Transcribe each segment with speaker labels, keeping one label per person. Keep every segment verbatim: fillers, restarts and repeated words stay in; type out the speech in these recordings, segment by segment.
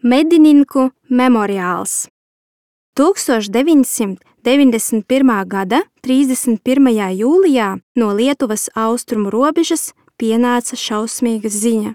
Speaker 1: Medininku memoriāls. tūkstoš deviņsimt deviņdesmit pirmā gada trīsdesmit pirmajā jūlijā no Lietuvas austrumu robežas pienāca šausmīga ziņa.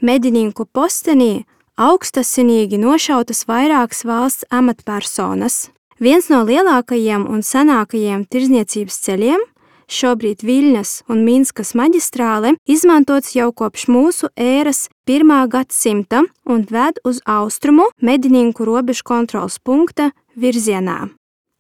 Speaker 1: Medininku postenī augstasinīgi nošautas vairākas valsts amatpersonas. Viens no lielākajiem un senākajiem tirzniecības ceļiem, šobrīd Viļņas un Minskas maģistrāle, izmantots jau kopš mūsu ēras pirmā gadsimta un ved uz austrumu Medininku robežu kontroles punkta virzienā.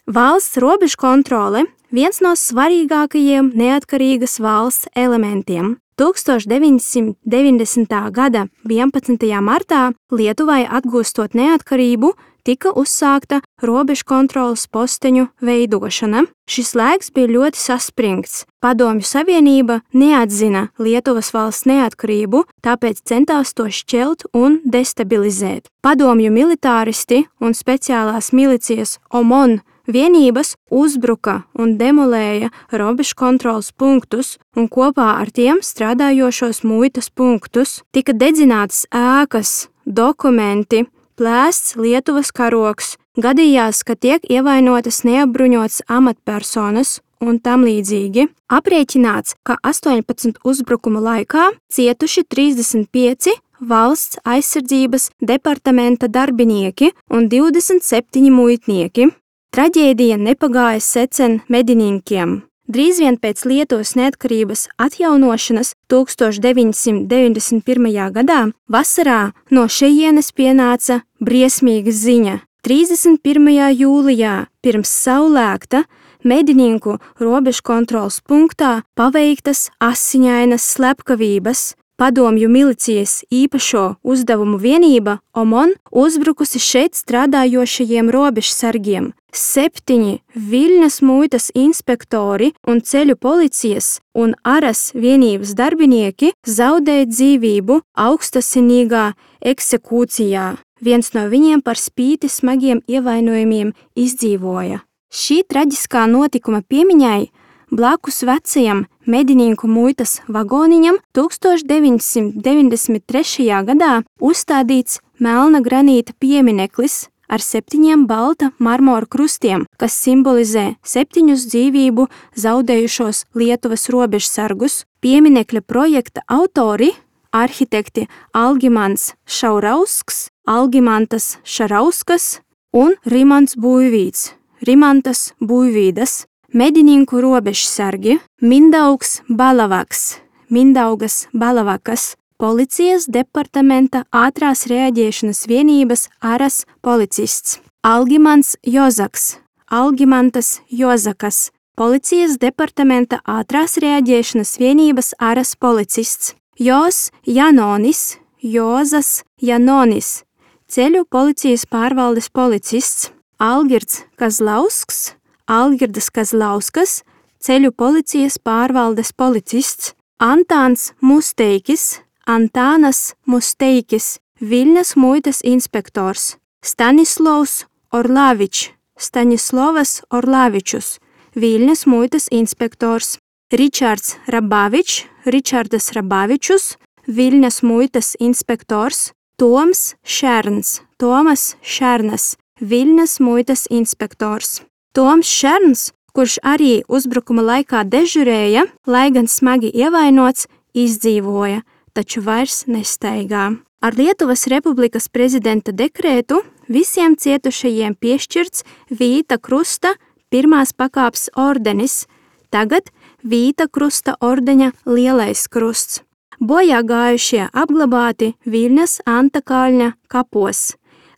Speaker 1: Valsts robežu kontrole viens no svarīgākajiem neatkarīgas valsts elementiem. tūkstoš deviņsimt deviņdesmitā gada vienpadsmitajā martā Lietuvai atgūstot neatkarību, tika uzsākta robežu kontroles posteņu veidošana. Šis laiks bija ļoti saspringts. Padomju Savienība neatzina Lietuvas valsts neatkarību, tāpēc centās to šķelt un destabilizēt. Padomju militāristi un speciālās milicijas OMON vienības uzbruka un demolēja robežu kontroles punktus un kopā ar tiem strādājošos muitas punktus. Tika dedzinātas ēkas, dokumenti, plēsts Lietuvas karogs, gadījās, ka tiek ievainotas neapbruņotas amatpersonas un tam līdzīgi. Aprēķināts, ka astoņpadsmit uzbrukumu laikā cietuši trīsdesmit pieci valsts aizsardzības departamenta darbinieki un divdesmit septiņi muitnieki. Traģēdija nepagāja secen medininkiem. Drīz vien pēc Lietuvas neatkarības atjaunošanas tūkstoš deviņsimt deviņdesmit pirmajā gadā vasarā no šejienes pienāca briesmīga ziņa. trīsdesmit pirmajā jūlijā pirms saulēkta Medininku robežu kontroles punktā paveiktas asiņainas slepkavības. Padomju milicijas īpašo uzdevumu vienība OMON uzbrukusi šeit strādājošajiem robežsargiem. Septiņi Viļņas muitas inspektori un ceļu policijas un aras vienības darbinieki zaudēja dzīvību augstasinīgā eksekūcijā. Viens no viņiem par spīti smagiem ievainojumiem izdzīvoja. Šī traģiskā notikuma piemiņai blakus vecajam Medininku muitas vagoniņam tūkstoš deviņsimt deviņdesmit trešajā gadā uzstādīts melna granīta piemineklis ar septiņiem balta marmora krustiem, kas simbolizē septiņus dzīvību zaudējušos Lietuvas robežsargus. Pieminekļa projekta autori – arhitekti Algimants Šaurausks, Algimantas Šarauskas un Rimants Buivīds, Rimantas Buivīdas. Medininku robežsargi Mindaugs Balavaks, Mindaugas Balavakas, policijas departamenta ātrās reaģēšanas vienības aras policists. Algimants Jozaks, Algimantas Jozakas, policijas departamenta ātrās reaģēšanas vienības aras policists. Jos Janonis, Jozas Janonis, ceļu policijas pārvaldes policists. Algirds Kazlausks, Algirdas Kazlauskas, ceļu policijas pārvaldes policists. Antāns Musteikis, Antānas Musteikis, Viļņas muitas inspektors. Stanislovs Orlavičs, Staņislovas Orlavičus, Viļņas muitas inspektors. Ričards Rabavičs, Ričardas Rabavičus, Viļņas muitas inspektors. Toms Šerns, Tomas Šernas, Viļņas muitas inspektors. Toms Šerns, kurš arī uzbrukuma laikā dežurēja, lai gan smagi ievainots, izdzīvoja, taču vairs nestaigā. Ar Lietuvas Republikas prezidenta dekrētu visiem cietušajiem piešķirts Vīta Krusta pirmās pakāpes ordenis, tagad Vīta Krusta ordeņa lielais krusts. Bojā gājušie apglabāti Viļņas Antakalņa kapos,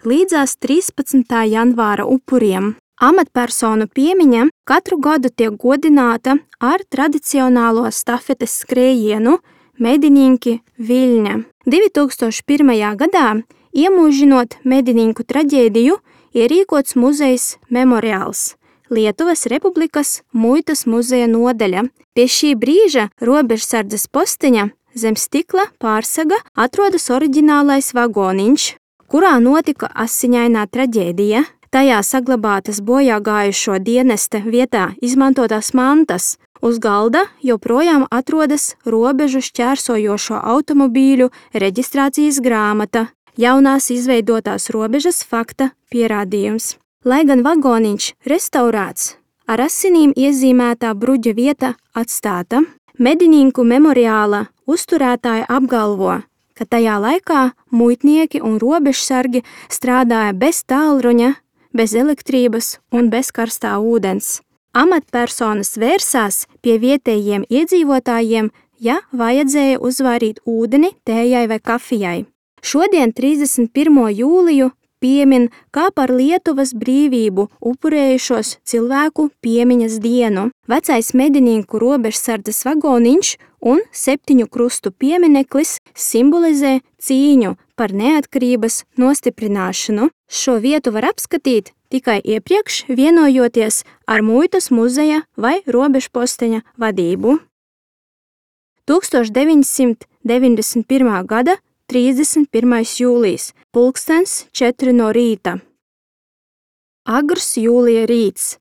Speaker 1: līdzās trīspadsmitā janvāra upuriem. Amatpersonu piemiņa katru gadu tiek godināta ar tradicionālo stafetes skrējienu Medininki Viļņa. divi tūkstoši pirmajā gadā, iemūžinot Medininku traģēdiju, ierīkots muzejs memoriāls Lietuvas Republikas muitas muzeja nodaļa. Pie šī brīža robežsardzes posteņa zem stikla pārsaga atrodas oriģinālais vagoniņš, kurā notika asiņainā traģēdija. Tajā saglabātas bojā gājušo dienesta vietā izmantotās mantas. Uz galda joprojām atrodas robežu šķērsojošo automobīļu reģistrācijas grāmata. jaunās izveidotās robežas fakta pierādījums. Lai gan vagoniņš restaurēts, ar asinīm iezīmētā bruģa vieta atstāta, medininku memoriāla uzturētāja apgalvo, ka tajā laikā muitnieki un robežsargi strādāja bez tālruņa, bez elektrības un bez karstā ūdens. Amatpersonas vērsās pie vietējiem iedzīvotājiem, ja vajadzēja uzvairīt ūdeni tējai vai kafijai. Šodien trīsdesmit pirmo jūliju piemin kā par Lietuvas brīvību upurējušos cilvēku piemiņas dienu. Vecais medininku robežsardzes vagoniņš un septiņu krustu piemineklis simbolizē cīņu par neatkarības nostiprināšanu. Šo vietu var apskatīt tikai iepriekš vienojoties ar muitas muzeja vai robežposteņa vadību. tūkstoš deviņsimt deviņdesmit pirmā gada trīsdesmit pirmais jūlijs, pulkstens četri no rīta. Agrs jūlija rīts.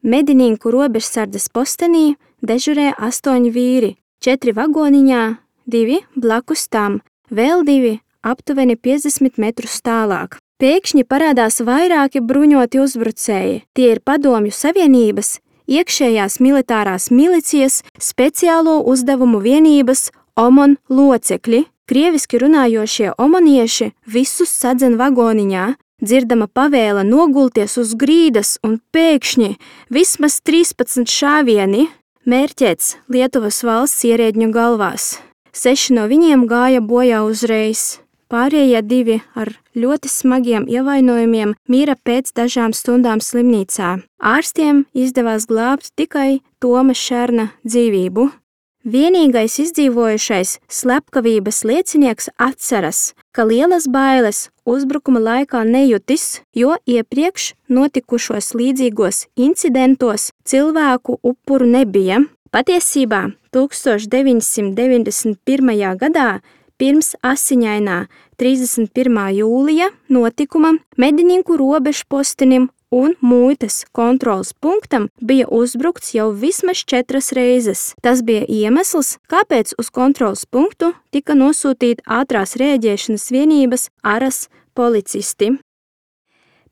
Speaker 1: Medininku robežsardzes postenī dežurē astoņi vīri, četri vagoniņā, divi blakus tam, vēl divi aptuveni piecdesmit metrus tālāk. Pēkšņi parādās vairāki bruņoti uzbrucēji. Tie ir Padomju Savienības, iekšējās militārās milicijas, speciālo uzdevumu vienības OMON locekļi. Krieviski runājošie omonieši visus sadzen vagoniņā, dzirdama pavēle nogulties uz grīdas un pēkšņi vismaz trīspadsmit šāvieni mērķēts Lietuvas valsts ierēdņu galvās. Seši no viņiem gāja bojā uzreiz. Pārējie divi ar ļoti smagiem ievainojumiem mira pēc dažām stundām slimnīcā. Ārstiem izdevās glābt tikai Toma Šerna dzīvību. Vienīgais izdzīvojušais slepkavības liecinieks atceras, ka lielas bailes uzbrukuma laikā nejutis, jo iepriekš notikušos līdzīgos incidentos cilvēku upuru nebija. Patiesībā tūkstoš deviņsimt deviņdesmit pirmajā gadā pirms asiņainā trīsdesmit pirmā jūlija notikuma medininku robežpostenim un muitas kontroles punktam bija uzbrukts jau vismaz četras reizes. Tas bija iemesls, kāpēc uz kontroles punktu tika nosūtīti ātrās rēģēšanas vienības aras policisti.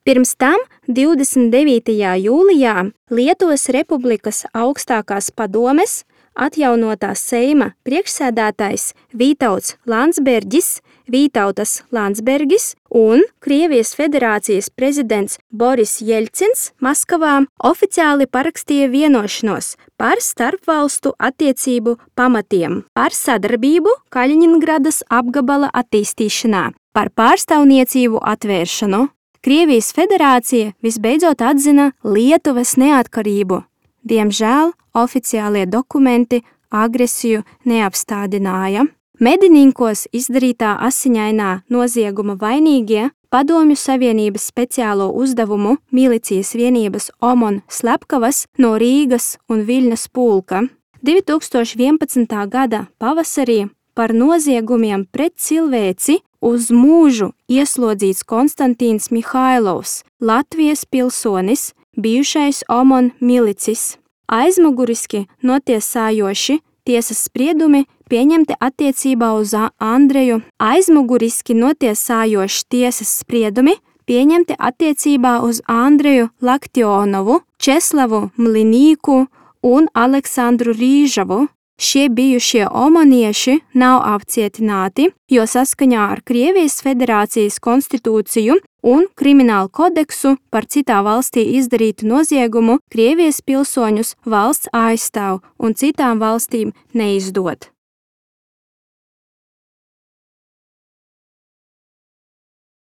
Speaker 1: Pirms tam divdesmit devītajā jūlijā Lietuvas Republikas augstākās padomes atjaunotā Seima priekšsēdētājs Vītauts Landsbergis, Vītautas Landsbergis un Krievijas Federācijas prezidents Boris Jeļcins Maskavā oficiāli parakstīja vienošanos par starpvalstu attiecību pamatiem, par sadarbību Kaļiņingradas apgabala attīstīšanā, par pārstāvniecību atvēršanu. Krievijas Federācija visbeidzot atzina Lietuvas neatkarību. Diemžēl oficiālie dokumenti agresiju neapstādināja. Medininkos izdarītā asiņainā nozieguma vainīgie Padomju Savienības speciālo uzdevumu milicijas vienības OMON slepkavas no Rīgas un Viļņas pulka. divi tūkstoši vienpadsmitā gada pavasarī par noziegumiem pret cilvēci uz mūžu ieslodzīts Konstantīns Mihailovs, Latvijas pilsonis, bijušais OMON milicis. Aizmuguriski notiesājoši tiesas spriedumi pieņemti attiecībā uz Andreju. Aizmuguriski notiesājoši tiesas spriedumi pieņemti attiecībā uz Andreju Laktionovu, Česlavu Mlinīku un Aleksandru Rīžavu. Šie bijušie omonieši nav apcietināti, jo saskaņā ar Krievijas Federācijas konstitūciju un kriminālu kodeksu par citā valstī izdarītu noziegumu Krievijas pilsoņus valsts aizstāv un citām valstīm neizdod.